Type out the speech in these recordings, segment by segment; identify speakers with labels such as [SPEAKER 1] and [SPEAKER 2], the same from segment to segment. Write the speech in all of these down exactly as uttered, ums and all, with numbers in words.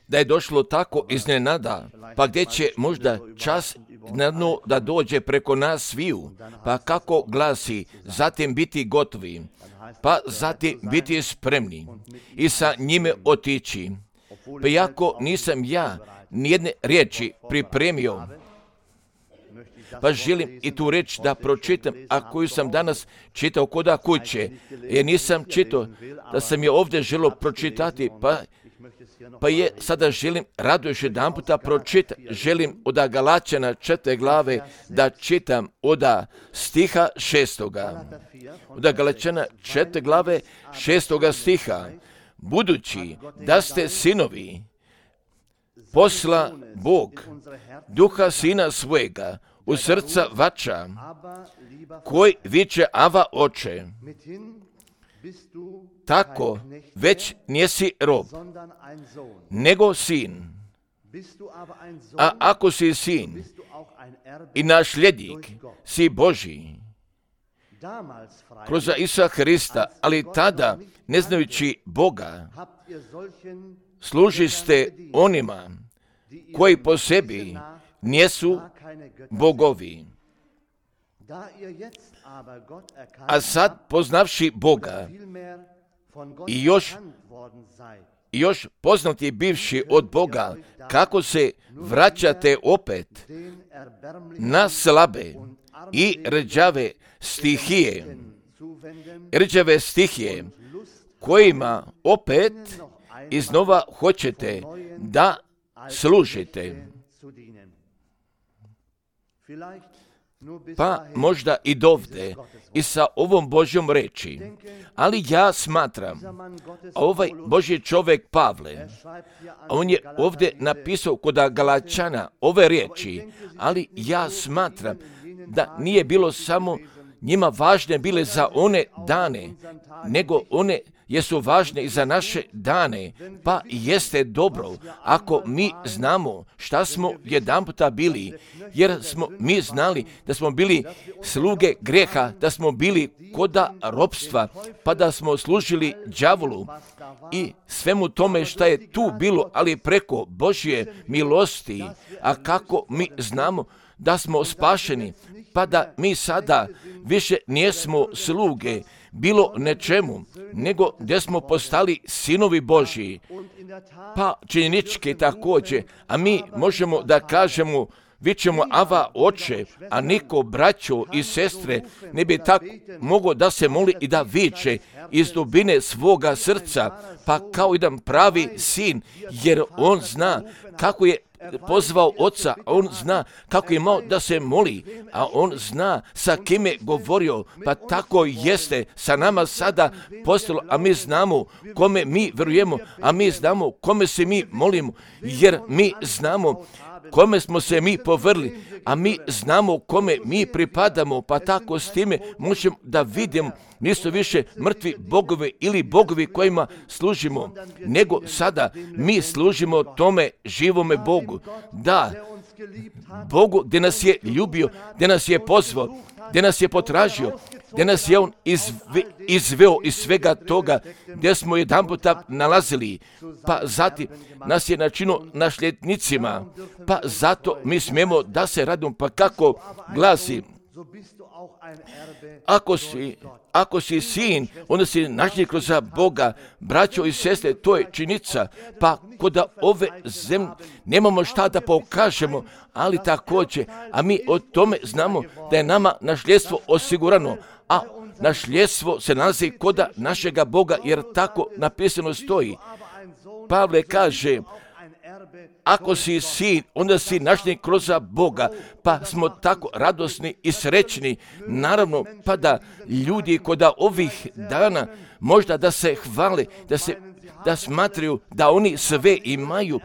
[SPEAKER 1] da je došlo tako iznenada, pa gdje će možda čas na dno da dođe preko nas sviju, pa kako glasi, zatim biti gotovi, pa zatim biti spremni i sa njime otići. Pa jako nisam ja nijedne riječi pripremio, pa želim i tu reč da pročitam, a koju sam danas čitao koda kuće, jer nisam čitao, da sam je ovdje želio pročitati, pa, pa je sada želim rado još jedan puta pročitati. Želim od Galačana četvrte glave da čitam od stiha šestoga. Od Galačana četvrte glave šestoga stiha. Budući da ste sinovi, posla Bog duha sina svojega u srca vaša, koji viče Ava oče, tako već nisi rob, nego sin. A ako si sin i nasljednik, si Božji, kroz Isusa Hrista, ali tada, ne znajući Boga, služiste onima koji po sebi nisu bogovi. A sad, poznavši Boga i još, i još poznati bivši od Boga, kako se vraćate opet na slabe i rđave stihije, rđave stihije, kojima opet iznova hoćete da služite. Pa možda i dovde i sa ovom Božjom reči, ali ja smatram, ovaj Božji čovjek Pavle, on je ovdje napisao kod Galačana ove riječi, ali ja smatram da nije bilo samo njima važne bile za one dane, nego one jesu važne i za naše dane, pa jeste dobro ako mi znamo šta smo jedanputa bili, jer smo mi znali da smo bili sluge grijeha, da smo bili koda ropstva, pa da smo služili đavolu i svemu tome šta je tu bilo, ali preko Božje milosti, a kako mi znamo da smo spašeni, pa da mi sada više nijesmo sluge bilo nečemu, nego gdje smo postali sinovi Božji, pa činjenički također, a mi možemo da kažemo, vi ćemo Ava oče, a niko braćo i sestre ne bi tako mogao da se moli i da viče iz dubine svoga srca, pa kao jedan pravi sin, jer on zna kako je pozvao oca, a on zna kako je imao da se moli, a on zna sa kim je govorio, pa tako jeste sa nama sada postalo, a mi znamo kome mi vjerujemo, a mi znamo kome se mi molimo, jer mi znamo kome smo se mi povrli, a mi znamo kome mi pripadamo, pa tako s time možemo da vidimo, nisu više mrtvi bogovi ili bogovi kojima služimo, nego sada mi služimo tome živome Bogu. Da, Bogu gdje nas je ljubio, gdje nas je pozvao, gdje nas je potražio, gdje nas je On izve, izveo iz svega toga, gdje smo jedan puta nalazili, pa zatim nas je načinio nasljednicima, pa zato mi smijemo da se radimo, pa kako glasi, ako si, ako si sin, onda si nasljednik kroz Boga, braćo i sestre, to je činjenica, pa kod ove zemlje nemamo šta da pokažemo, ali također, a mi o tome znamo da je nama nasljedstvo osigurano, a nasljedstvo se nalazi kod našega Boga, jer tako napisano stoji. Pavle kaže, ako si sin, onda si nasljednik kroz Boga, pa smo tako radosni i srećni. Naravno, pa da ljudi kod ovih dana možda da se hvale, da se da smatraju da oni sve imaju,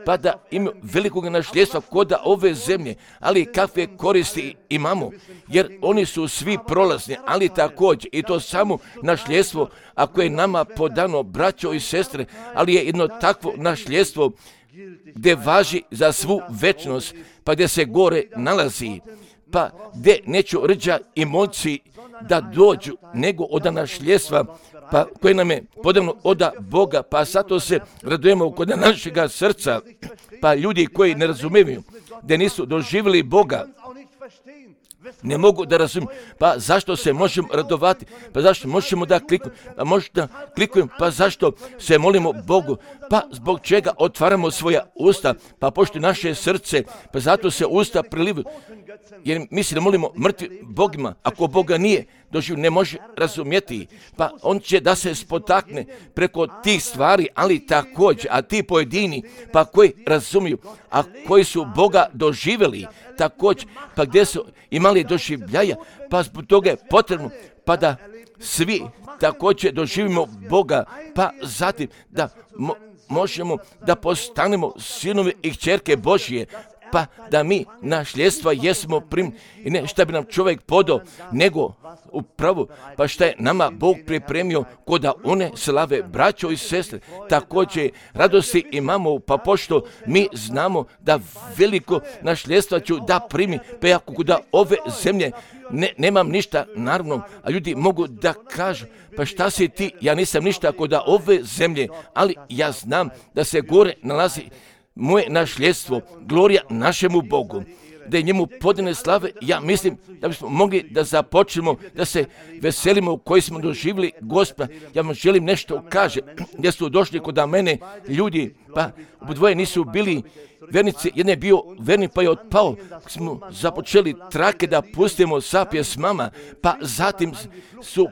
[SPEAKER 1] pa da imaju velikog nasljedstva kod ove zemlje, ali kakve koristi imamo, jer oni su svi prolazni, ali također i to samo nasljedstvo, ako je nama podano, braćo i sestre, ali je jedno takvo nasljedstvo gdje važi za svu večnost, pa gdje se gore nalazi, pa gdje neću rđa i moći da dođu, nego od nasljedstva, pa koje nam je podano od Boga, pa zato se radujemo kod našega srca, pa ljudi koji ne razumiju, da nisu doživjeli Boga, ne mogu da razumiju, pa zašto se možemo radovati, pa zašto možemo da klikujemo, pa možda klikujemo, pa zašto se molimo Bogu, pa zbog čega otvaramo svoja usta, pa pošto naše srce, pa zato se usta prilivuju, jer mi se ne molimo mrtvi Bogima, ako Boga nije doživio, ne može razumjeti, pa on će da se spotakne preko tih stvari, ali također, a ti pojedini, pa koji razumiju, a koji su Boga doživjeli, također, pa gdje su imali doživljaja, pa zbog toga je potrebno, pa da svi također doživimo Boga, pa zatim da mo- možemo da postanemo sinovi i kćerke Božje, pa da mi nasljedstva jesmo prim, i ne šta bi nam čovjek podao, nego upravo, pa šta je nama Bog pripremio kod one slave, braćo i sestre, također radosti imamo, pa pošto mi znamo da veliko nasljedstva ću da primi, pa ako kod ove zemlje ne, nemam ništa, naravno, a ljudi mogu da kažu, pa šta si ti, ja nisam ništa kod ove zemlje, ali ja znam da se gore nalazi moje nasljedstvo, glorija našemu Bogu, da je njemu podane slave. Ja mislim da bismo mogli da započnemo, da se veselimo u koji smo doživjeli Gospoda. Ja vam želim nešto kaže, gdje su došli kod mene ljudi, pa obodvoje nisu bili vernici, jedan je bio vernik pa je otpao, smo započeli trake da pustimo sa pjesmama, pa zatim su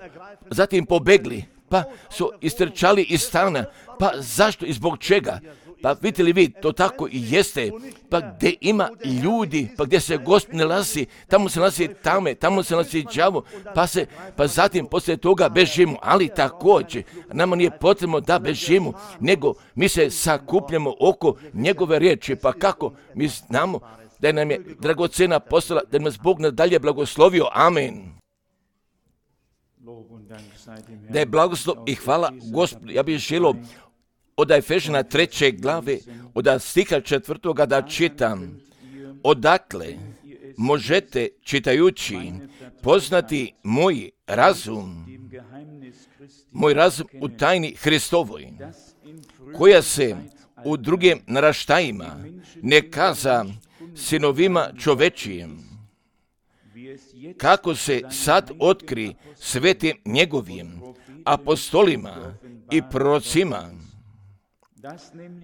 [SPEAKER 1] zatim pobegli, pa su istrčali iz stana, pa zašto i zbog čega? Pa vidite li vi, to tako i jeste, pa gdje ima ljudi, pa gdje se Gospod nalazi, tamo se nalazi tame, tamo se nalazi đavo, pa se, pa zatim poslije toga bežimo, ali također, nama nije potrebno da bežimo, nego mi se sakupljamo oko njegove riječi, pa kako mi znamo da nam je dragocena postala, da nas Bog nadalje blagoslovio, amen. Da je blagoslov i hvala Gospodu, ja bih želio od Efežana treće glave, od stiha četvrtoga da čitam. Odakle možete, čitajući, poznati moj razum, moj razum u tajni Hristovoj, koja se u drugim naraštajima ne kaza sinovima čovečijim, kako se sad otkri svetim njegovim apostolima i prorocima,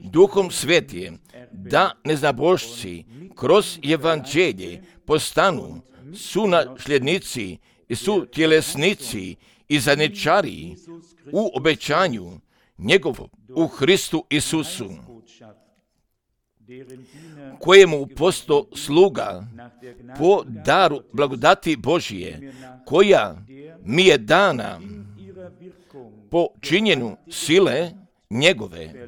[SPEAKER 1] Duhom Svetijem, da neznabošci kroz evanđelje postanu su nasljednici i su tjelesnici i zajedničari u obećanju njegovom u Hristu Isusu, kojemu posto sluga po daru blagodati Božije, koja mi je dana po činjenu sile njegove.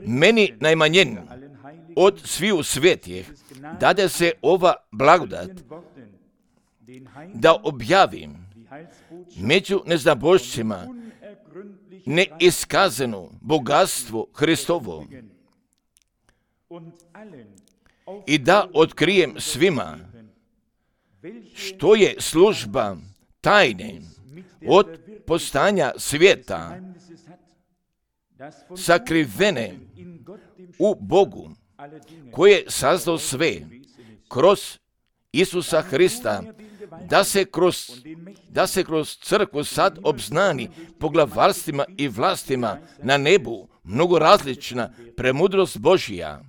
[SPEAKER 1] Meni najmanjen od sviju svetih dade se ova blagodat da objavim među neznabošcima neiskazano bogatstvo Hristovo i da otkrijem svima što je služba tajne od postanja svijeta sakrivene u Bogu, koji je sazdao sve kroz Isusa Hrista, da se kroz, da se kroz crkvu sad obznani poglavarstvima i vlastima na nebu mnogo različna premudrost Božija,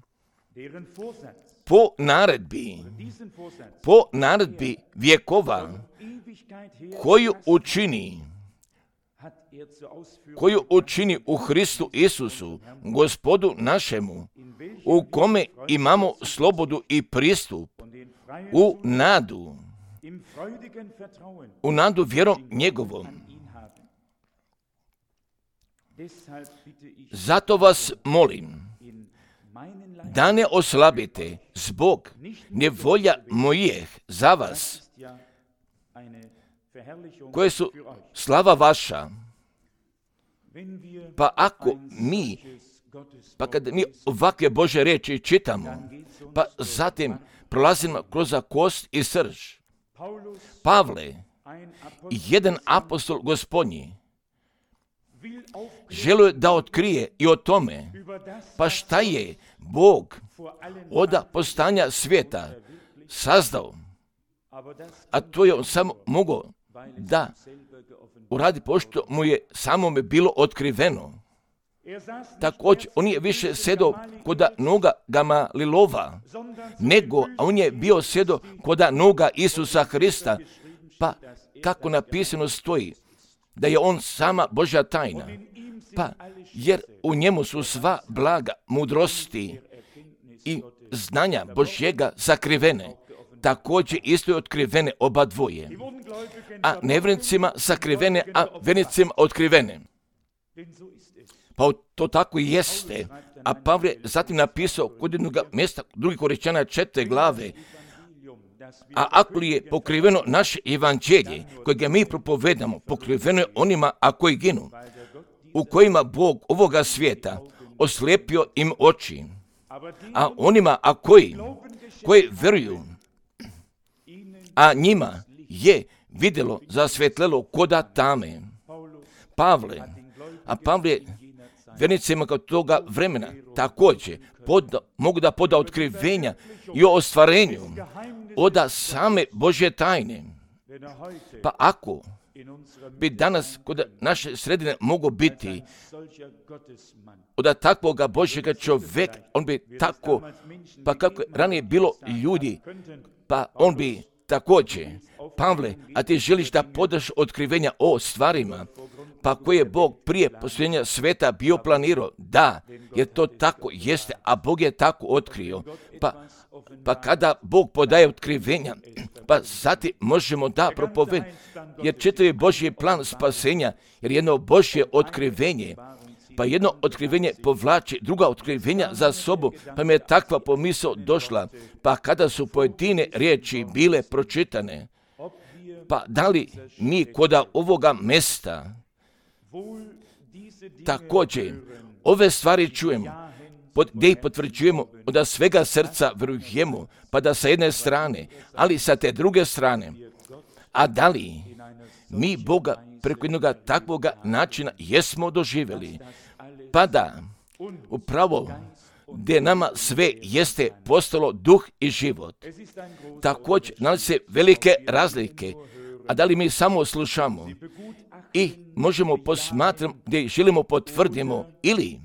[SPEAKER 1] po naredbi, po naredbi vjekova, koju učini, koju učini u Hristu Isusu, Gospodu našemu, u kome imamo slobodu i pristup, u nadu, u nadu vjerom njegovom. Zato vas molim, da ne oslabite zbog nevolja mojih za vas, koje su slava vaša. Pa ako mi, pa kad mi ovakve Božje riječi čitamo, pa zatim prolazimo kroz kost i srž, Pavle, jedan apostol Gospodnji, želio je da otkrije i o tome, pa šta je Bog od postanja svijeta sazdao, a to je on samo mogao da uradi pošto mu je samome bilo otkriveno. Također, on je više sjedao koda noga Gamalilova, nego on je bio sjedao koda noga Isusa Hrista, pa kako napisano stoji, da je on sama Božja tajna, pa jer u njemu su sva blaga mudrosti i znanja Božjega sakrivene, također isto je otkrivene oba dvoje, a nevjernicima sakrivene, a vjernicima otkrivene. Pa to tako i jeste. A Pavle je zatim napisao kod jednog mjesta, drugi Korinčana četvrte glave, a ako li je pokriveno naše evanđelje, kojega mi propovedamo, pokriveno je onima, a koji ginu, u kojima Bog ovoga svijeta oslijepio im oči, a onima, a koji, koji vjeruju, a njima je vidjelo zasvjetlelo koda tame. Pavle, a Pavle je vjernicima kao toga vremena također pod, mogu da poda otkrivenja i o ostvarenju oda same Božje tajne. Pa ako bi danas kod naše sredine mogo biti od takvoga Božjega čovjeka, on bi tako, pa kako je ranije bilo ljudi, pa on bi također, Pavle, a ti želiš da podaš otkrivenja o stvarima, pa koje je Bog prije posljednja sveta bio planirao, da, jer to tako jeste, a Bog je tako otkrio. Pa, pa kada Bog podaje otkrivenja, pa zatim možemo da propovedati, jer čitav je Božji plan spasenja, jer jedno Božje otkrivenje, pa jedno otkrivenje povlači druga otkrivenja za sobu, pa mi je takva pomisao došla, pa kada su pojedine riječi bile pročitane, pa da li mi koda ovoga mesta također ove stvari čujemo, pod, gdje ih potvrđujemo, da svega srca vjerujemo, pa da sa jedne strane, ali sa te druge strane, a da li mi Boga preko jednog takvoga načina jesmo doživjeli, pa da upravo gdje nama sve jeste postalo duh i život. Također nalazi se velike razlike, a da li mi samo slušamo i možemo posmatrati gdje želimo potvrdimo ili,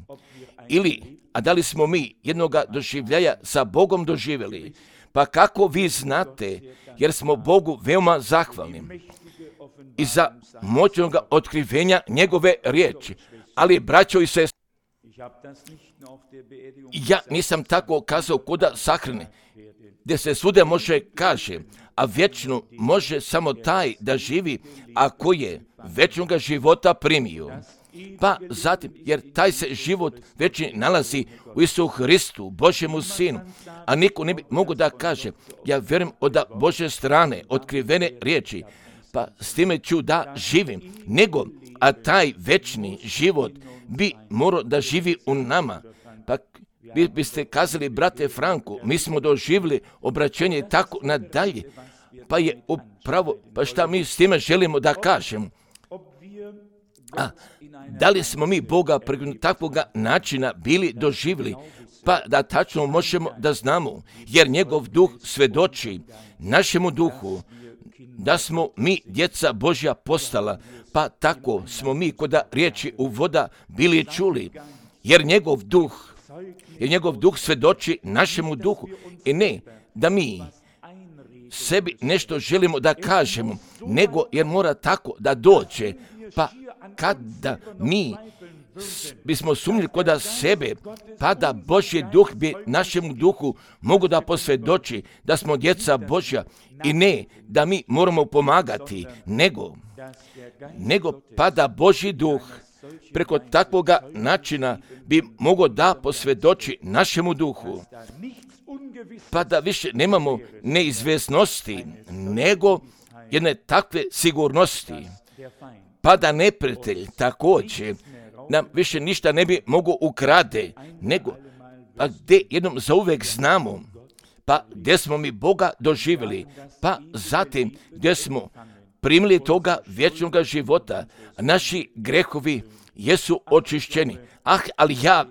[SPEAKER 1] ili, a da li smo mi jednoga doživljaja sa Bogom doživjeli, pa kako vi znate, jer smo Bogu veoma zahvalni i za moćnog otkrivenja njegove riječi, ali braćo i sestre, ja nisam tako kazao koda sahrane, gdje se svuda može kaže, a vječno može samo taj da živi, ako je vječnog života primio. Pa zatim, jer taj se život večni nalazi u Isu Hristu, Božjemu Sinu, a niko ne bi mogu da kaže, ja vjerujem od Božje strane, otkrivene riječi, pa s time ću da živim, nego, a taj večni život bi morao da živi u nama. Pa vi biste kazali, brate Franku, mi smo doživjeli obraćenje i tako nadalje, pa je upravo, pa šta mi s time želimo da kažemo? A da li smo mi Boga preko takvoga načina bili doživjeli, pa da tačno možemo da znamo, jer njegov duh svedoči našemu duhu da smo mi djeca Božja postala, pa tako smo mi koda riječi u voda bili čuli, jer njegov duh, jer njegov duh svedoči našemu duhu i ne da mi sebi nešto želimo da kažemo, nego jer mora tako da dođe, pa kada mi bismo sumnjili koda sebe, pa da Božji duh bi našemu duhu mogu da posvjedoči da smo djeca Božja i ne da mi moramo pomagati, nego, nego pa da Božji duh preko takvoga načina bi mogao da posvjedoči našemu duhu, pa da više nemamo neizvjesnosti, nego jedne takve sigurnosti, pa da neprijatelj također nam više ništa ne bi mogao ukrade, nego pa gdje jednom zauvek znamo, pa gdje smo mi Boga doživjeli, pa zatim gdje smo primili toga vječnog života, naši grehovi jesu očišćeni. Ah, ali ja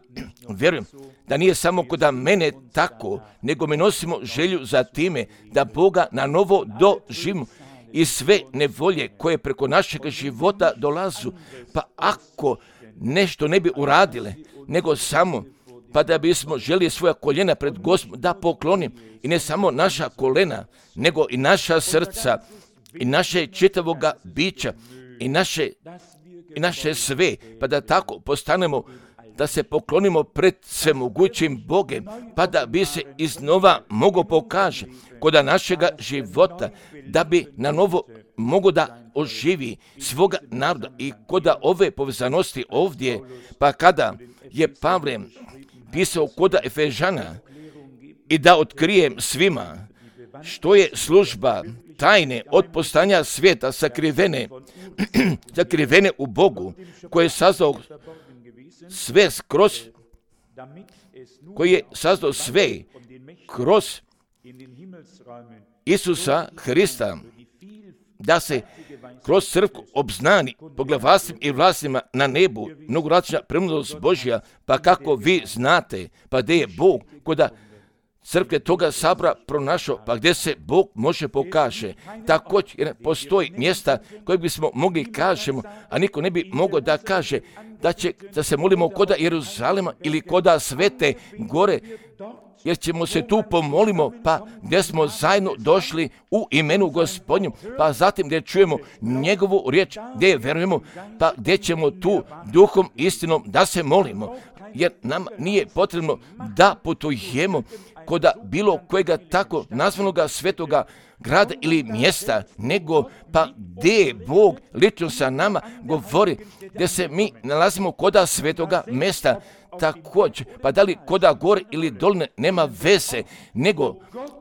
[SPEAKER 1] vjerujem da nije samo kod mene tako, nego mi nosimo želju za time da Boga na novo doživimo i sve nevolje koje preko našeg života dolazu, pa ako nešto ne bi uradile, nego samo pa da bismo želi svoja koljena pred Gospodom da poklonim, i ne samo naša kolena, nego i naša srca, i naše čitavoga bića, i naše, i naše sve, pa da tako postanemo, da se poklonimo pred svemogućim Bogem, pa da bi se iznova mogo pokaže kod našega života, da bi na novo mogo da oživi svoga naroda i kod ove povezanosti ovdje, pa kada je Pavle pisao kod Efežana i da otkrijem svima što je služba tajne od postanja svijeta sakrivene, sakrivene u Bogu, koje je sazdao sve kroz, koji je sazdao sve kroz Isusa Hrista, da se kroz crkvu obznani poglavastim i vlastima na nebu mnogoračna premudrost Božja, pa kako vi znate, pa gdje je Bog, koda crkve toga sabra pronašao, pa gdje se Bog može pokaže. Također postoji mjesta koje bismo mogli kažemo, a niko ne bi mogao da kaže da, će, da se molimo koda Jeruzalema ili koda Svete Gore, jer ćemo se tu pomolimo, pa gdje smo zajedno došli u imenu Gospodnju, pa zatim gdje čujemo njegovu riječ, gdje je verujemo, pa gdje ćemo tu duhom istinom da se molimo, jer nam nije potrebno da putujemo koda bilo kojega tako nazvanoga svetoga grada ili mjesta, nego pa gdje Bog lično sa nama govori, gdje se mi nalazimo koda svetoga mjesta. Također, pa da li koda gore ili dolne nema veze, nego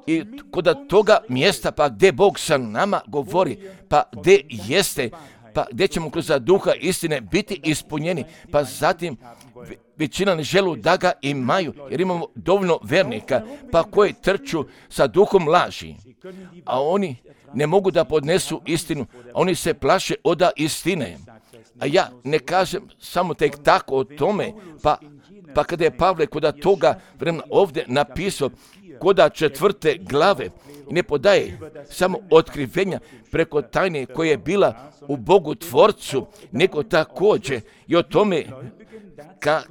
[SPEAKER 1] i koda toga mjesta, pa gdje Bog sa nama govori, pa gdje jeste, pa gdje ćemo kroz duha istine biti ispunjeni, pa zatim većina ne želu da ga imaju, jer imamo dovoljno vernika, pa koji trču sa duhom laži, a oni ne mogu da podnesu istinu, a oni se plaše oda istine. A ja ne kažem samo tek tako o tome, pa, pa kada je Pavle koda toga vremena ovdje napisao, koda četvrte glave, ne podaje samo otkrivenja preko tajne koja je bila u Bogu Tvorcu, nego također i o tome ka,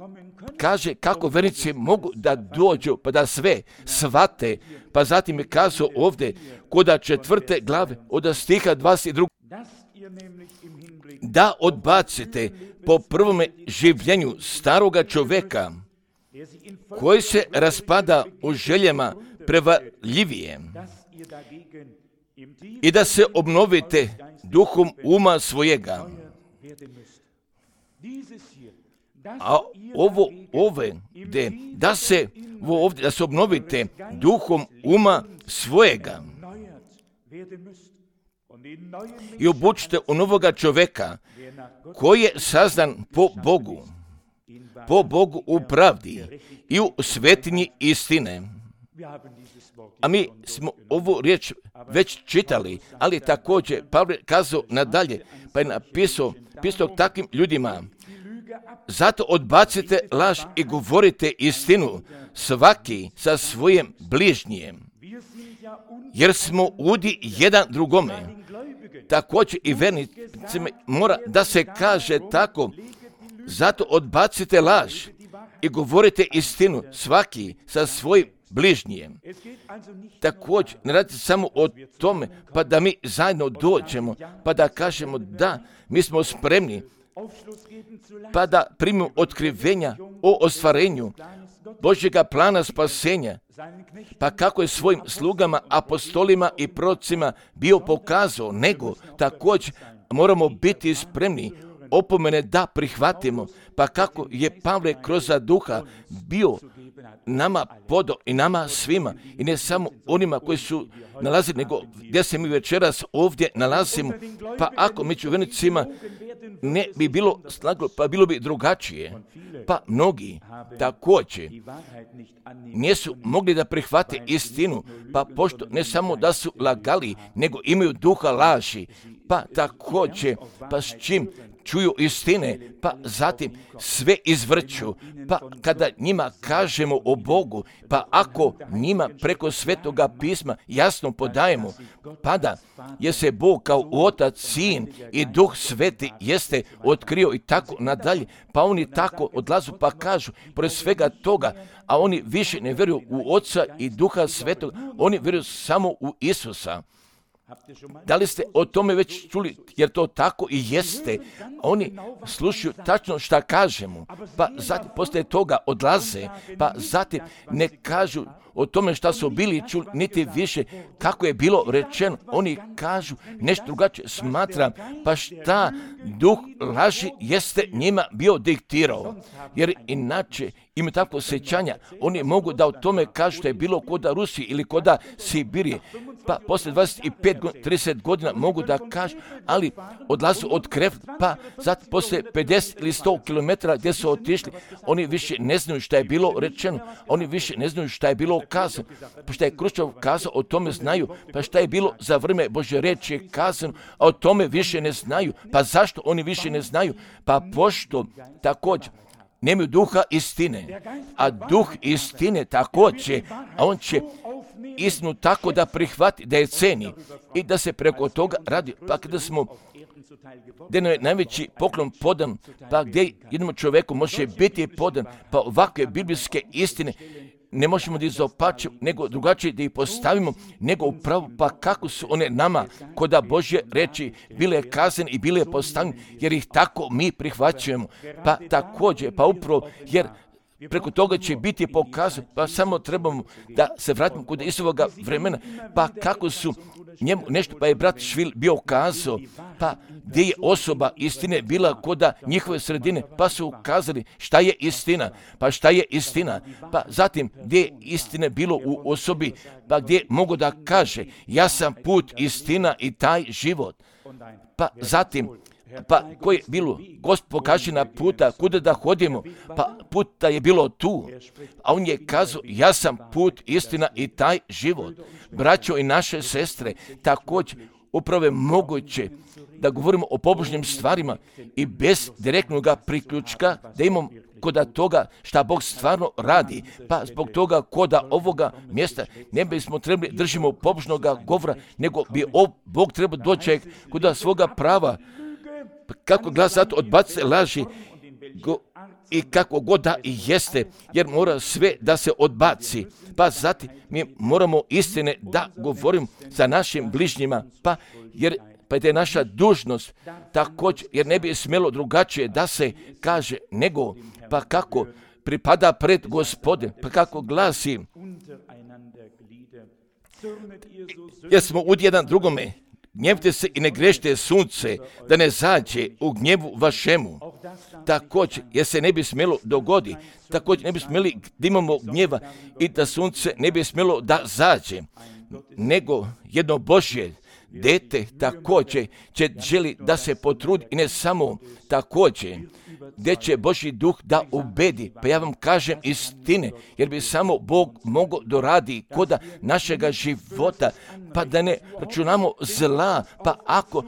[SPEAKER 1] kaže kako vernici mogu da dođu, pa da sve shvate, pa zatim je kazao ovdje koda četvrte glave od stiha dvadeset dva, da odbacite po prvome življenju staroga čovjeka koji se raspada u željama prevarljivije i da se obnovite duhom uma svojega. A ovo ove de, da se ovdje, da se obnovite duhom uma svojega i obučite u novoga čovjeka koji je sazdan po Bogu, po Bogu u pravdi i u svetinji istine. A mi smo ovu riječ već čitali, ali također Pavle kazao nadalje, pa je napisao, pisao takvim ljudima, zato odbacite laž i govorite istinu, svaki sa svojim bližnjijem, jer smo udi jedan drugome. Također i vernicima mora da se kaže tako, zato odbacite laž i govorite istinu, svaki sa svojim bližnjijem. Također, ne radi samo o tome, pa da mi zajedno dođemo, pa da kažemo da, mi smo spremni, pa da primimo otkrivenja o ostvarenju Božjega plana spasenja, pa kako je svojim slugama, apostolima i prorocima bio pokazao, nego također moramo biti spremni opomene da prihvatimo, pa kako je Pavle kroz duha bio nama podao i nama svima, i ne samo onima koji su nalazili, nego gdje se mi večeras ovdje nalazimo. Pa ako među vjernicima ne bi bilo slaglo, pa bilo bi drugačije. Pa mnogi također nisu mogli da prihvate istinu, pa pošto ne samo da su lagali, nego imaju duha laži, pa također, pa s čim čuju istine, pa zatim sve izvrću, pa kada njima kažemo o Bogu, pa ako njima preko Svetoga pisma jasno podajemo, pada je se Bog kao Otac, Sin i Duh Sveti jeste otkrio i tako nadalje, pa oni tako odlazu pa kažu, pored svega toga, a oni više ne vjeruju u Oca i Duha Svetog, oni vjeruju samo u Isusa. Da li ste o tome već čuli, jer to tako i jeste? Oni slušaju tačno šta kažemo, pa zatim posle toga odlaze, pa zatim ne kažu o tome šta su bili čuli, niti više kako je bilo rečeno. Oni kažu nešto drugačije, smatram, pa šta duh laži jeste njima bio diktirao, jer inače imaju takvo osjećanja, oni mogu da o tome kažu što je bilo koda Rusiji ili koda Sibirije, pa posle dvadeset pet do trideset godina mogu da kažu, ali odlazu od Krefla, pa zatim posle pedeset ili sto kilometara gdje su otišli, oni više ne znaju šta je bilo rečeno, oni više ne znaju šta je bilo kazano, pa šta je Kruščov kazao, o tome znaju, pa šta je bilo za vrijeme Božje reči je kazano, a o tome više ne znaju. Pa zašto oni više ne znaju? Pa pošto također nemaju duha istine, a duh istine također, a on će istinu tako da prihvati, da je ceni i da se preko toga radi. Pa kada smo, gdje je najveći poklon podan, pa gdje jednom čovjeku može biti podan, pa ovakve biblijske istine ne možemo da izopačimo, nego drugačije da ih postavimo, nego upravo pa kako su one nama koda Božje reči bile kazane i bile postavljene, jer ih tako mi prihvaćujemo. Pa također, pa upravo, jer preko toga će biti pokazano, pa samo trebamo da se vratimo kod Isusovoga vremena, pa kako su njemu nešto, pa je brat Švil bio kazao, pa gdje je osoba istine bila koda njihove sredine, pa su ukazali šta je istina, pa šta je istina, pa zatim gdje je istine bilo u osobi, pa gdje mogu da kaže, ja sam put, istina i taj život, pa zatim, pa koje je bilo, Gospod pokaže na puta, kuda da hodimo, pa puta je bilo tu, a on je kazao, ja sam put, istina i taj život. Braćo i naše sestre, također, upravo je moguće da govorimo o pobožnim stvarima i bez direktnog priključka da imamo koda toga šta Bog stvarno radi, pa zbog toga koda ovoga mjesta ne bismo trebali držimo pobožnog govora, nego bi Bog trebao doći koda svoga prava, kako glas zato odbace laži go, i kako god da i jeste, jer mora sve da se odbaci. Pa zatim mi moramo istine da govorimo sa našim bližnjima, pa jer pa je naša dužnost također, jer ne bi smjelo drugačije da se kaže nego, pa kako pripada pred Gospode, pa kako glasi, jer smo ud jedan drugome, gnjevite se i ne grešite sunce, da ne zađe u gnjevu vašemu. Također, jer se ne bi smjelo dogodi, također ne bi smjeli da imamo gnjeva i da sunce ne bi smjelo da zađe, nego jedno Božje dete također će želi da se potrudi i ne samo također, gdje će Božji duh da ubedi. Pa ja vam kažem istine, jer bi samo Bog mogao doradi koda našega života, pa da ne računamo zla, pa ako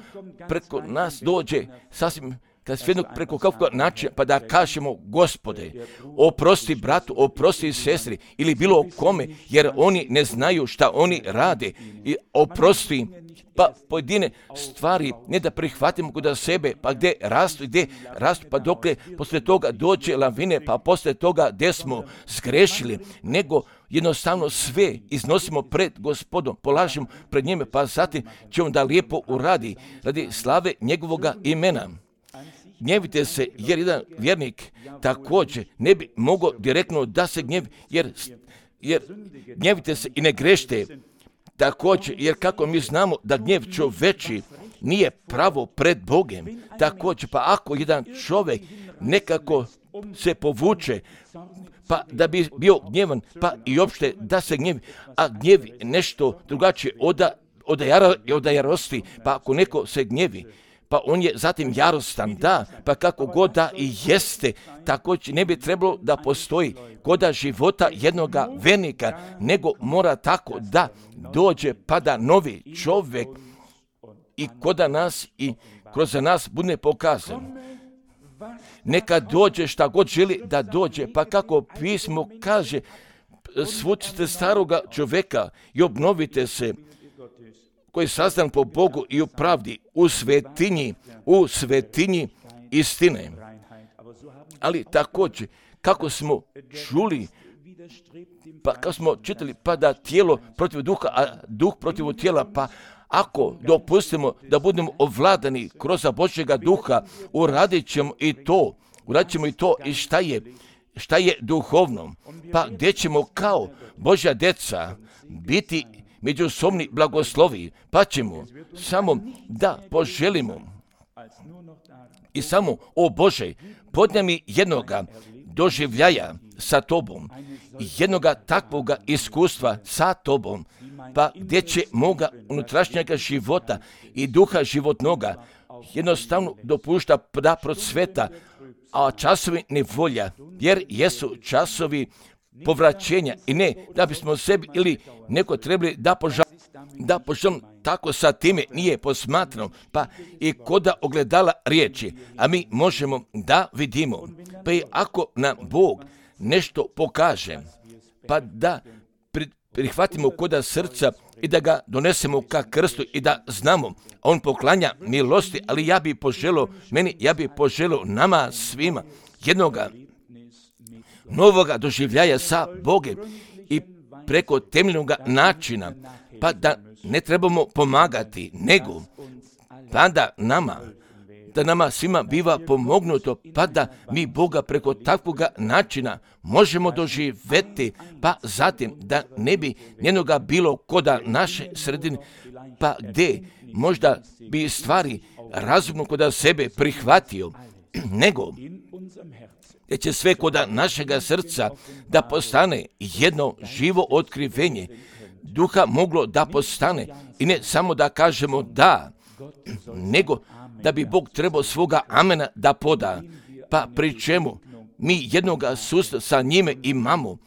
[SPEAKER 1] preko nas dođe sasvim kad svijednog preko kakvog načina, pa da kažemo, Gospode, oprosti bratu, oprosti sestri ili bilo kome, jer oni ne znaju šta oni rade, i oprosti pa pojedine stvari ne da prihvatimo kod sebe, pa gdje rastu i gdje rastu, pa dokle posle toga dođe lavine, pa posle toga gdje smo zgrešili, nego jednostavno sve iznosimo pred Gospodom, polažemo pred njime, pa zatim će on da lijepo uradi radi slave njegovoga imena. Gnjevite se, jer jedan vjernik također ne bi mogao direktno da se gnjevi, jer, jer gnjevite se i ne grešite. Također, jer kako mi znamo da gnjev čoveči nije pravo pred Bogem, također, pa ako jedan čovjek nekako se povuče, pa da bi bio gnjevan, pa i opšte da se gnjevi, a gnjev nešto drugačije od, od, jaro, od jarosti, pa ako neko se gnjevi, pa on je zatim jarostan, da, pa kako god da i jeste, također ne bi trebalo da postoji koda života jednoga vernika, nego mora tako da dođe pa da novi čovjek i koda nas i kroz nas bude pokazan. Neka dođe šta god želi da dođe, pa kako pismo kaže, svucite staroga čovjeka i obnovite se, koji je sazdan po Bogu i u pravdi, u svetinji, u svetinji istine. Ali također, kako smo čuli, pa kako smo čitali, pa da tijelo protiv duha, a duh protiv tijela, pa ako dopustimo da budemo ovladani kroz Božjega duha, uradit ćemo i to, uradit ćemo i to i šta je, šta je duhovno, pa gdje ćemo kao Božja djeca biti međusobni blagoslovi, pa ćemo samo da poželimo i samo, o Bože, podne mi jednoga doživljaja sa Tobom, jednoga takvoga iskustva sa Tobom, pa gdje će moga unutrašnjega života i duha životnoga jednostavno dopušta da procveta, a časovi nevolja, jer jesu časovi povraćenja i ne da bismo sebi ili neko trebali da požalimo, da požalimo, tako sa time nije posmatrano, pa i koda ogledala riječi, a mi možemo da vidimo, pa i ako nam Bog nešto pokaže, pa da prihvatimo koda srca i da ga donesemo ka krstu i da znamo, on poklanja milosti, ali ja bi poželio, meni, ja bi poželio nama svima jednoga novoga doživljaja sa Bogom i preko temeljnog načina, pa da ne trebamo pomagati, nego pa da nama, da nama svima biva pomognuto, pa da mi Boga preko takvog načina možemo doživjeti, pa zatim da ne bi njenoga bilo koda naše sredine, pa gdje možda bi stvari razumno koda sebe prihvatio, nego gdje će sve koda našega srca da postane jedno živo otkrivenje duha moglo da postane i ne samo da kažemo da, nego da bi Bog trebao svoga amena da poda, pa pri čemu mi jednoga susreta sa njime imamo,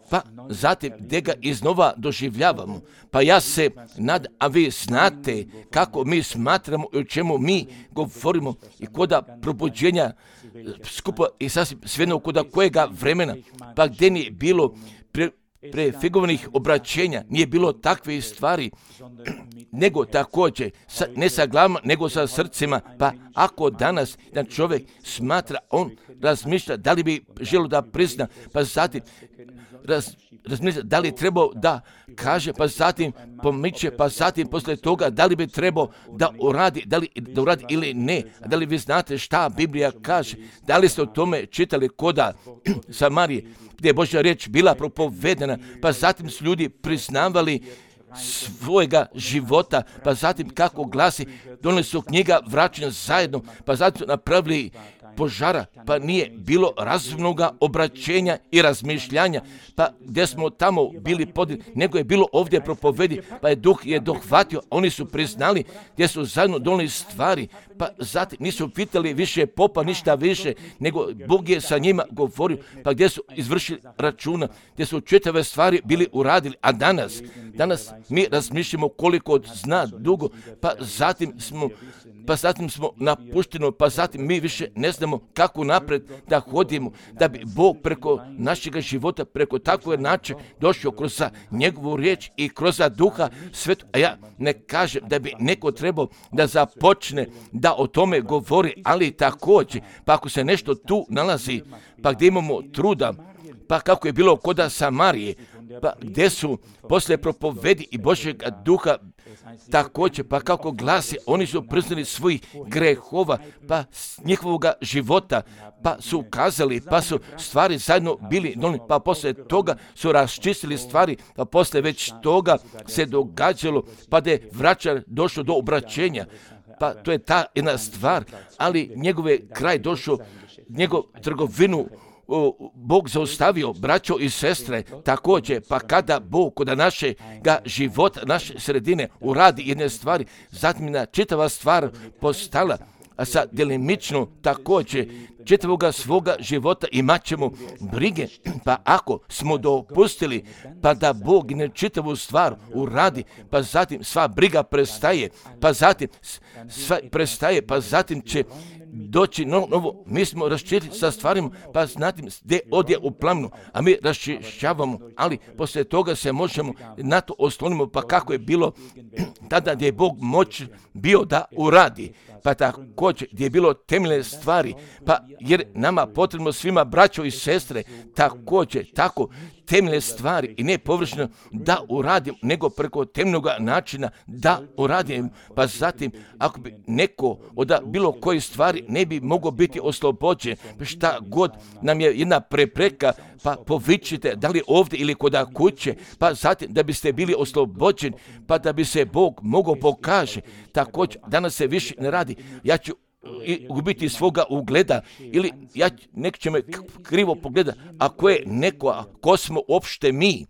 [SPEAKER 1] pa zatim gdje ga iznova doživljavamo. Pa ja se nad, a vi znate kako mi smatramo i o čemu mi govorimo i koda probuđenja skupa i sasvim svejedno koda kojega vremena, pa gdje nije bilo pre, prefigovanih obraćenja, nije bilo takve stvari, nego također, sa, ne sa glavama, nego sa srcima, pa ako danas jedan čovjek smatra, on razmišlja da li bi želio da prizna, pa zatim raz, razmišlja da li trebao da kaže, pa zatim pomiče, pa zatim poslije toga da li bi trebao da uradi, da li da uradi ili ne, da li vi znate šta Biblija kaže, da li ste o tome čitali koda Samarije, gdje je Božja riječ bila propovedena, pa zatim su ljudi priznavali svojega života, pa zatim kako glasi, donijeli su knjiga vraćanja zajedno, pa zatim su napravili požara, pa nije bilo razumnog obraćenja i razmišljanja, pa gdje smo tamo bili podijeli, nego je bilo ovdje propovedi, pa je duh je dohvatio, oni su priznali gdje su zajedno donijeli stvari, pa zatim nisu pitali više popa, ništa više, nego Bog je sa njima govorio, pa gdje su izvršili računa, gdje su čitave stvari bili uradili, a danas, danas mi razmišljamo koliko zna dugo, pa zatim smo pa zatim smo napušteni, pa zatim mi više ne znamo kako napred da hodimo, da bi Bog preko našeg života, preko takvog načina došao kroz njegovu riječ i kroz duha svetu. A ja ne kažem da bi neko trebao da započne da o tome govori, ali također, pa ako se nešto tu nalazi, pa gdje imamo truda, pa kako je bilo koda Samarije, pa gdje su posle propovedi i Božjeg duha također, pa kako glasi, oni su priznali svojih grehova, pa njihovog života, pa su ukazali, pa su stvari zajedno bili, pa posle toga su raščistili stvari, pa posle već toga se događalo, pa da je vraćar došao do obraćenja, pa to je ta jedna stvar, ali njegove kraj došao, njegov trgovinu o, Bog zaustavio, braćo i sestre, također, pa kada Bog kod našega života, naše sredine uradi jedne stvari, zatim je čitava stvar postala, a sad delimično također čitavoga svoga života imat ćemo brige, pa ako smo dopustili pa da Bog ne čitavu stvar uradi, pa zatim sva briga prestaje, pa zatim sva prestaje, pa zatim će doći novo, novo, mi smo raščistili sa stvarima, pa zatim gdje odje u plamnu, a mi raščišćavamo, ali poslije toga se možemo na to oslonimo, pa kako je bilo tada gdje je Bog moć bio da uradi, pa također gdje je bilo temeljne stvari, pa jer nama potrebno svima braćo i sestre također tako temeljne stvari i ne površno da uradim, nego preko temeljnog načina da uradim, pa zatim ako bi neko od bilo koje stvari ne bi mogao biti oslobođen, šta god nam je jedna prepreka, pa povičite, da li ovdje ili kod kuće, pa zatim da biste bili oslobođeni, pa da bi se Bog mogao pokaže. Također, danas se više ne radi, ja ću i gubiti svoga ugleda ili ja, nek će me krivo pogleda, ako je neko, a ko smo uopšte mi.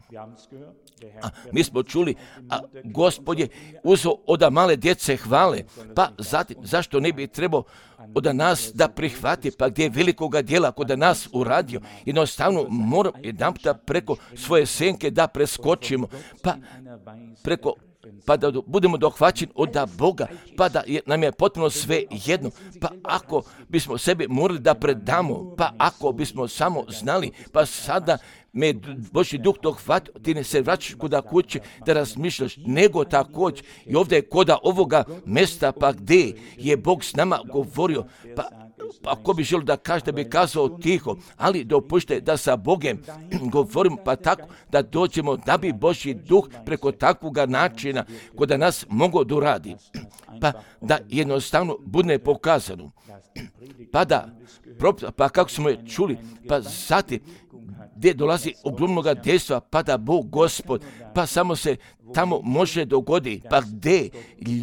[SPEAKER 1] A mi smo čuli, a Gospod je uzeo od male djece hvale, pa zatim zašto ne bi trebao od nas da prihvati, pa gdje je velikoga djela kod nas uradio, jednostavno moram jedan puta preko svoje senke da preskočimo, pa preko pa da budemo dohvaćeni od Boga, pa da je, nam je potpuno sve jedno, pa ako bismo sebe morali da predamo, pa ako bismo samo znali, pa sada me Božji duh dohvatio, ti ne se vraćaš kuda kuće da razmišljaš, nego također i ovdje je koda ovoga mjesta, pa gdje je Bog s nama govorio, pa ako bi želio da kaže, da bi kazao tiho, ali dopušte da sa Bogem govorimo, pa tako da dođemo, da bi Božji duh preko takvog načina kod nas mogao da uradi, pa da jednostavno bude pokazano, pa da, pa kako smo je čuli, pa zatim gdje dolazi ogromnoga dejstva, pa da Bog Gospod, pa samo se tamo može dogoditi, pa gdje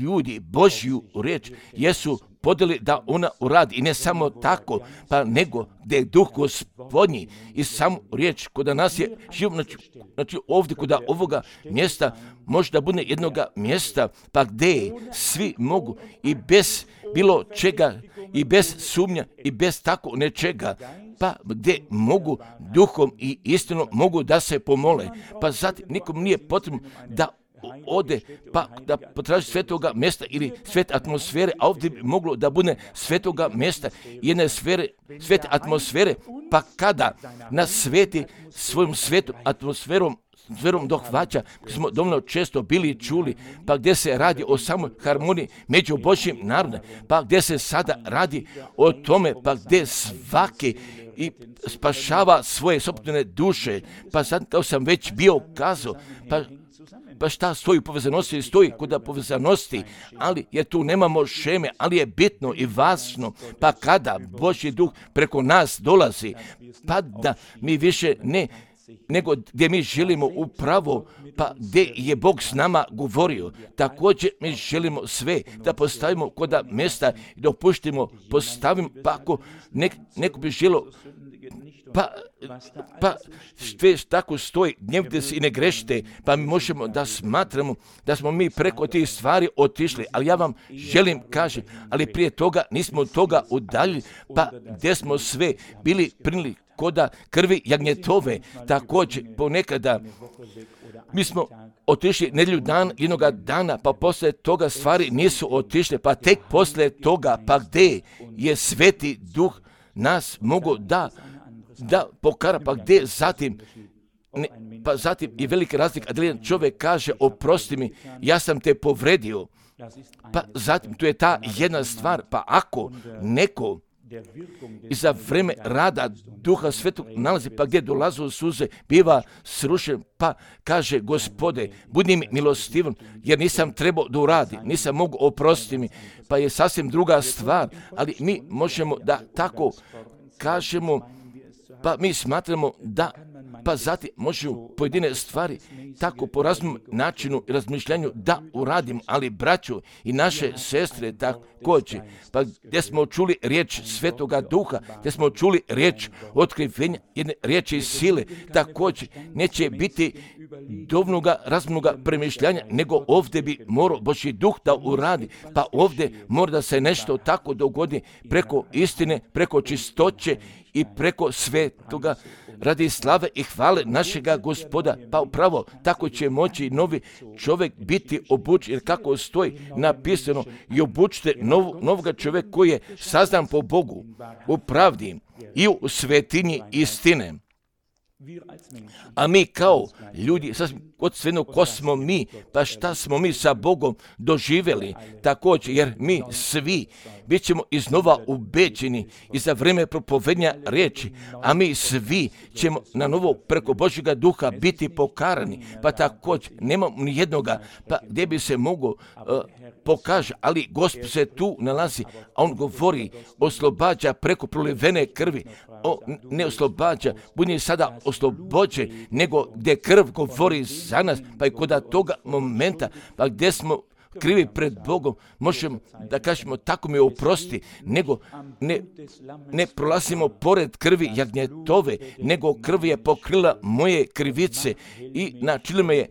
[SPEAKER 1] ljudi Božju riječ jesu podeli da ona uradi, i ne samo tako, pa nego gdje je duh Gospodnji i samo riječ kod nas je živ, znači, znači ovdje kod ovoga mjesta može da bude jednoga mjesta, pa gdje svi mogu i bez bilo čega i bez sumnja i bez tako nečega, pa gdje mogu duhom i istinom mogu da se pomole, pa zatim nikom nije potrebno da ode pa da potraži svetoga mjesta ili svete atmosfere, a ovdje bi moglo da bude svetoga mjesta, jedne sfere, svete atmosfere, pa kada nas sveti svojom svetom atmosferom Zverom dohvaća, smo dovoljno često bili čuli, pa gdje se radi o samoj harmoniji među Božjim narodom, pa gdje se sada radi o tome, pa gdje svaki i spašava svoje sopstvene duše, pa sad kao sam već bio kazao, pa pa šta stoji u povezanosti, stoji kod povezanosti, ali jer tu nemamo šeme, ali je bitno i važno, pa kada Božji duh preko nas dolazi, pa da mi više ne nego gdje mi želimo upravo, pa gdje je Bog s nama govorio. Također mi želimo sve da postavimo kod mjesta i dopuštimo, postavimo, pa ako nek, neko bi želio, pa, pa sve tako stoji, gnjevite se i ne grešite, pa mi možemo da smatramo da smo mi preko tih stvari otišli, ali ja vam želim kažem, ali prije toga nismo od toga udaljili, pa gdje smo sve bili prinili koda krvi jagnjetove, također ponekada mi smo otišli nedjelju dan, jednoga dana, pa poslije toga stvari nisu otišle, pa tek poslije toga, pa gdje je Sveti Duh nas mogu da, da pokara, pa gdje zatim, ne, pa zatim je velika razlika, da jedan čovjek kaže oprosti mi, ja sam te povredio, pa zatim tu je ta jedna stvar, pa ako neko i za vreme rada Duha Svetog nalazi, pa gdje dolazu suze, biva srušen, pa kaže Gospode, budi mi milostivan, jer nisam trebao da uradi, nisam mogu oprostiti mi, pa je sasvim druga stvar, ali mi možemo da tako kažemo, pa mi smatramo da pa zatim možemo pojedine stvari tako po raznom načinu i razmišljanju da uradimo, ali braćo i naše sestre također, pa gdje smo čuli riječ Svetoga Duha, gdje smo čuli riječ otkrivenja, jedne riječi sile, također neće biti dovoljnoga razumnoga premišljanja, nego ovdje bi morao Božji Duh da uradi, pa ovdje mora da se nešto tako dogodi preko istine, preko čistoće i preko svetoga radi slave i hvale našega Gospoda. Pa upravo tako će moći novi čovjek biti obučen, jer kako stoji napisano, i obučite nov, novoga čovjeka koji je sazdan po Bogu u pravdi i u svetinji istine. A mi kao ljudi, od svejedno ko smo mi, pa šta smo mi sa Bogom doživjeli također, jer mi svi bit ćemo iznova ubeđeni i za vrijeme propovednja riječi, a mi svi ćemo na novo preko Božjega Duha biti pokarani, pa također nemamo ni jednoga, pa gdje bi se mogo uh, pokaže, ali Gospod se tu nalazi, a on govori, oslobađa preko prolivene krvi, o, ne oslobađa, budi sada oslobođen, nego gdje krv govori za nas, pa i kod toga momenta, pa gdje smo krivi pred Bogom, možemo da kažemo tako mi oprosti, nego ne, ne prolazimo pored krvi jagnjetove, nego krv je pokrila moje krivice i načinila me je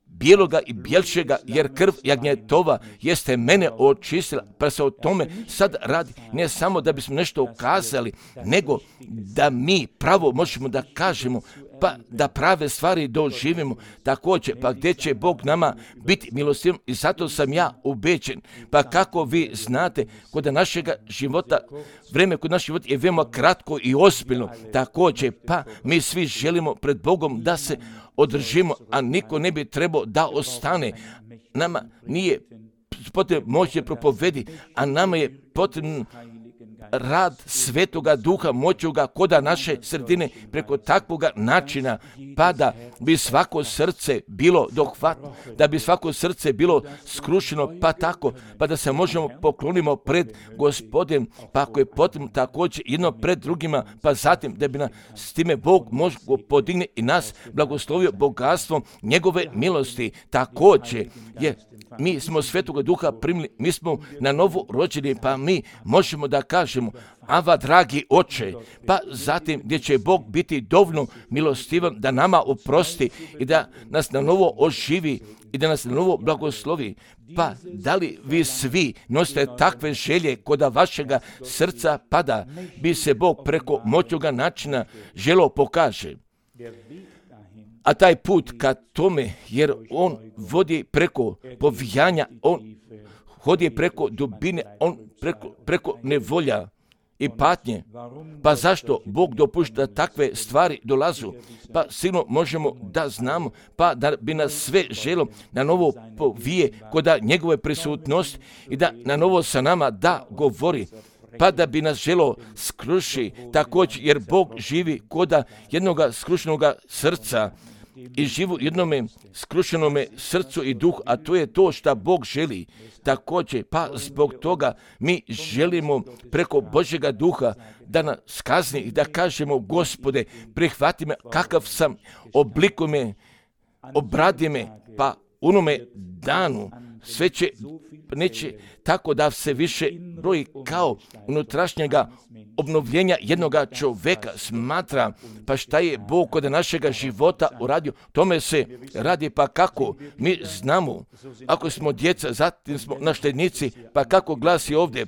[SPEAKER 1] bijeloga i bjelšega, jer krv jagnjetova jeste mene očistila, pa se o tome sad radi, ne samo da bismo nešto ukazali, nego da mi pravo možemo da kažemo, pa da prave stvari doživimo također, pa gdje će Bog nama biti milostiv, i zato sam ja ubeđen, pa kako vi znate, kod našega života, vrijeme kod našeg života je veoma kratko i ozbiljno, također, pa mi svi želimo pred Bogom da se održimo, a niko ne bi trebao da ostane. Nama nije potrebno moći propovedi, a nama je potrebno rad Svetoga Duha, moćuga koda naše sredine preko takvoga načina, pa da bi svako srce bilo dohvatno, da bi svako srce bilo skrušeno, pa tako, pa da se možemo poklonimo pred Gospodem, pa ako je potrebno također jedno pred drugima, pa zatim da bi nas s time Bog možemo podigne i nas blagoslovio bogatstvom njegove milosti. Također je mi smo Svetoga Duha primili, mi smo na novo rođeni, pa mi možemo da kažemo, Ava, dragi oče, pa zatim gdje će Bog biti dovoljno milostivan da nama oprosti i da nas na novo oživi i da nas na novo blagoslovi. Pa da li vi svi nosite takve želje koda vašega srca, pa da bi se Bog preko moćnoga načina želo pokaže? A taj put ka tome, jer on vodi preko povijanja, on hodi preko dubine, on preko, preko nevolja i patnje. Pa zašto Bog dopušta takve stvari dolazu? Pa sigurno možemo da znamo, pa da bi nas sve želo na novo povije koda njegove prisutnosti i da na novo sa nama da govori, pa da bi nas želo skruši također, jer Bog živi koda jednoga skrušenoga srca i živu jednome skrušenome srcu i duhu, a to je to što Bog želi također. Pa zbog toga mi želimo preko Božjega Duha da nas kazni i da kažemo, Gospode, prihvati me kakav sam, oblikuj me, obradi me, pa unome danu sve će, neće tako da se više broji kao unutrašnjega obnovljenja jednoga čovjeka. Smatra, pa šta je Bog kod našega života uradio, tome se radi, pa kako mi znamo, ako smo djeca, zatim smo naštednici, pa kako glasi ovdje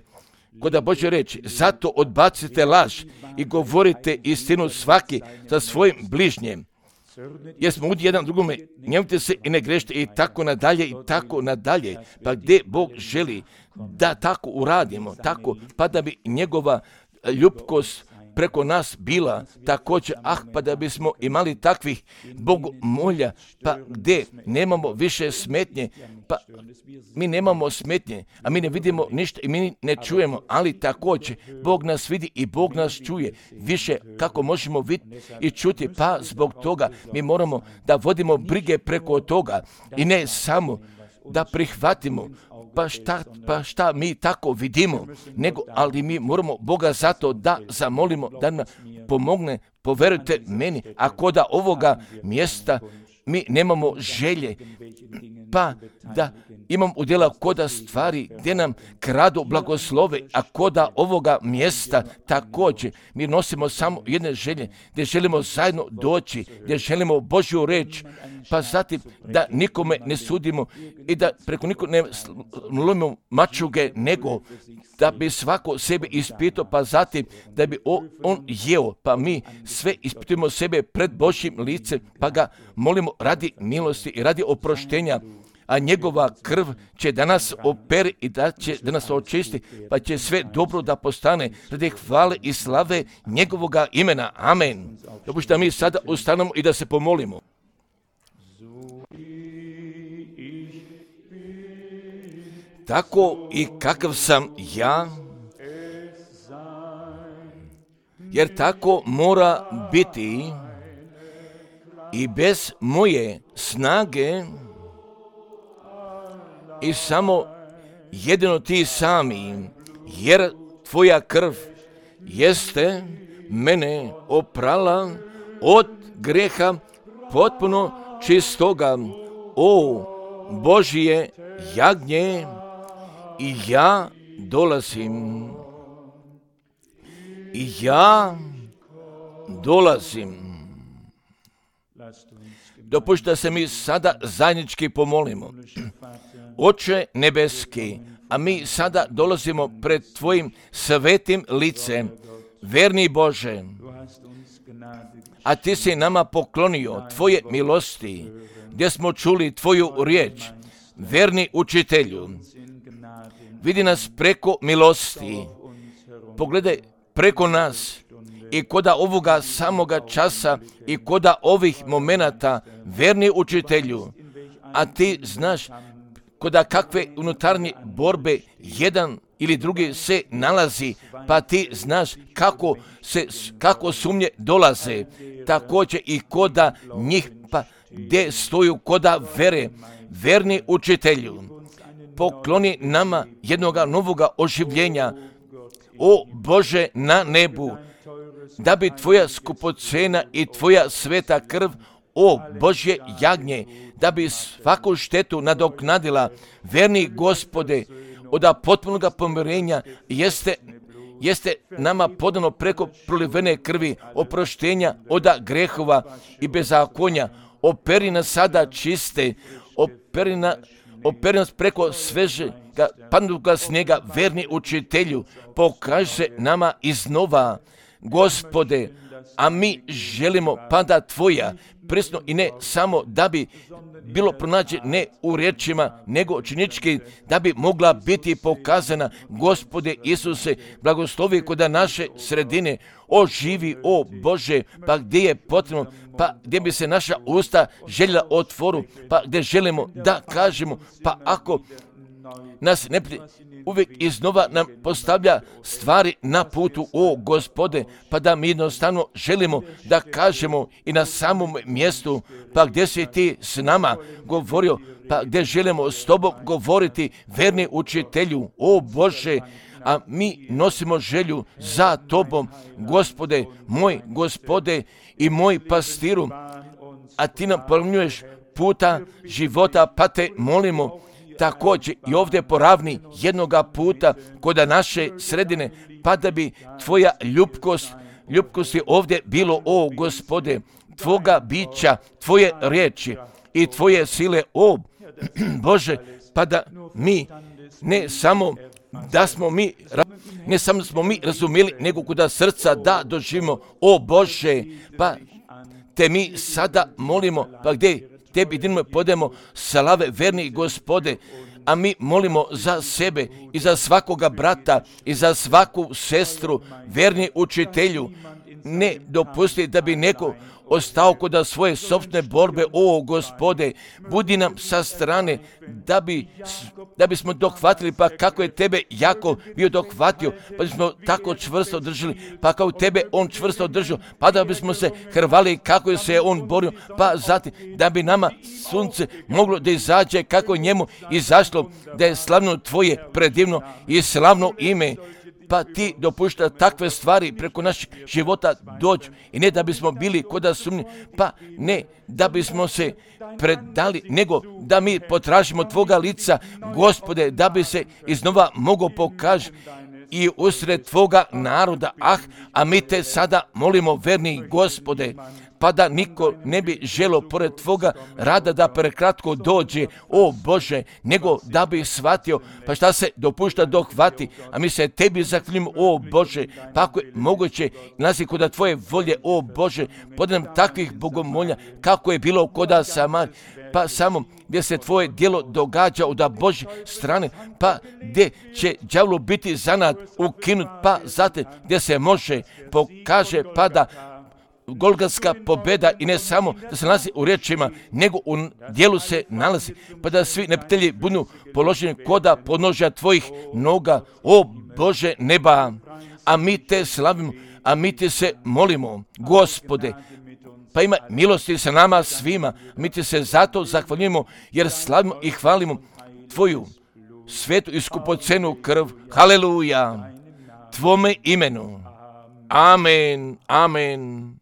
[SPEAKER 1] kod Božje reči, zato odbacite laž i govorite istinu svaki sa svojim bližnjem, jer smo ud jedan drugome, njemite se i ne grešite, i tako nadalje, i tako nadalje. Pa gdje Bog želi da tako uradimo, tako, pa da bi njegova ljubkost preko nas bila također, ah, pa da bismo imali takvih bogomolja, pa gdje nemamo više smetnje, pa mi nemamo smetnje, a mi ne vidimo ništa i mi ne čujemo, ali također Bog nas vidi i Bog nas čuje više kako možemo vidjeti i čuti, pa zbog toga mi moramo da vodimo brige preko toga i ne samo da prihvatimo pa šta, pa šta mi tako vidimo, nego, ali mi moramo Boga zato da zamolimo, da nam pomogne, poverujte meni, ako da ovoga mjesta mi nemamo želje, pa da imam udjela koda stvari gdje nam kradu blagoslove, a koda ovoga mjesta također mi nosimo samo jedne želje, gdje želimo zajedno doći, gdje želimo Božju reč, pa zatim da nikome ne sudimo i da preko nikog ne lomimo mačuge, nego da bi svako sebe ispitao, pa zatim da bi on jeo, pa mi sve ispitujemo sebe pred Božjim licem, pa ga molimo radi milosti i radi oproštenja, a njegova krv će da nas opere i da će da nas očisti, pa će sve dobro da postane radi hvale i slave njegovoga imena. Amen. Dopušta da mi sada ustanemo i da se pomolimo. Tako i kakav sam ja, jer tako mora biti i bez moje snage i samo jedino ti sami, jer tvoja krv jeste mene oprala od greha potpuno čistoga. O Božje jagnje, i ja dolazim, i ja dolazim. Dopušta da se mi sada zajednički pomolimo. Oče nebeski, a mi sada dolazimo pred tvojim svetim licem, verni Bože, a ti si nama poklonio tvoje milosti, gdje smo čuli tvoju riječ, verni učitelju. Vidi nas preko milosti, pogledaj preko nas i koda ovoga samoga časa i koda ovih momenata, verni učitelju, a ti znaš koda kakve unutarnje borbe jedan ili drugi se nalazi, pa ti znaš kako, se, kako sumnje dolaze, također i koda njih, pa gdje stoju koda vere, verni učitelju. Pokloni nama jednoga novoga oživljenja, o Bože na nebu, da bi tvoja skupocena i tvoja sveta krv, o Božje jagnje, da bi svaku štetu nadoknadila, verni Gospode, od potpunoga pomirenja jeste, jeste nama podano preko prolivene krvi, oproštenja od grehova i bezakonja. Operi nas sada čiste, operi, na, operi nas preko svežega padnuga snijega, verni učitelju, pokaži se nama iznova, Gospode, a mi želimo pada tvoja, presno i ne samo da bi bilo pronađe ne u riječima, nego činički da bi mogla biti pokazana. Gospode Isuse, blagoslovi kod naše sredine, oživi, o Bože, pa gdje je potrebno, pa gdje bi se naša usta željela otvoru, pa gdje želimo da kažemo, pa ako nas ne uvijek iznova nam postavlja stvari na putu, o Gospode, pa da mi jednostavno želimo da kažemo i na samom mjestu, pa gdje si ti s nama govorio, pa gdje želimo s tobom govoriti, verni učitelju, o Bože, a mi nosimo želju za tobom, Gospode, moj Gospode i moj pastiru, a ti nam pomnjuješ puta života, pa te molimo, također i ovdje poravni jednoga puta kod naše sredine, pa da bi tvoja ljubkost, ljubkost je ovdje bilo, o Gospode, tvoga bića, tvoje riječi i tvoje sile, o Bože, pa da mi ne samo da smo mi, ne samo smo mi razumjeli, nego kuda srca da doživimo, o Bože, pa te mi sada molimo, pa gdje tebi dinimo podemo slave, verni Gospode, a mi molimo za sebe i za svakoga brata i za svaku sestru, verni učitelju, ne dopusti da bi neko ostao kod svoje sopstvene borbe. O Gospode, budi nam sa strane da bi, da bismo dohvatili, pa kako je tebe Jakov bio dohvatio, pa bismo tako čvrsto držali, pa kao tebe on čvrsto držao, pa da bismo se hrvali kako je se on borio, pa zatim da bi nama sunce moglo da izađe kako je njemu izašlo, da je slavno tvoje predivno i slavno ime. Pa ti dopušta takve stvari preko naših života dođu i ne da bismo bili koda sumnji, pa ne da bismo se predali, nego da mi potražimo tvoga lica, Gospode, da bi se iznova mogo pokaži i usred tvoga naroda. Ah, a mi te sada molimo, verni Gospode, pa da niko ne bi želo pored tvoga rada da prekratko dođe, o Bože, nego da bi shvatio, pa šta se dopušta dohvati, a mi se tebi zahvaljujemo, o Bože, pa ako je moguće, nalazi kod tvoje volje, o Bože, podaj nam takvih bogomolja, kako je bilo koda Samar, pa samo gdje se tvoje djelo događa od Božje strane, pa gdje će đavlu biti zanad ukinut, pa zatim gdje se može pokaže, pa da golgatska pobjeda i ne samo da se nalazi u riječima, nego u dijelu se nalazi, pa da svi neprijatelji budu položeni koda podnožja tvojih noga, o Bože neba, a mi te slavimo, a mi te se molimo, Gospode, pa ima milosti sa nama svima, mi ti se zato zahvaljujemo, jer slavimo i hvalimo tvoju svetu i skupocenu krv, haleluja, tvome imenu, amen, amen.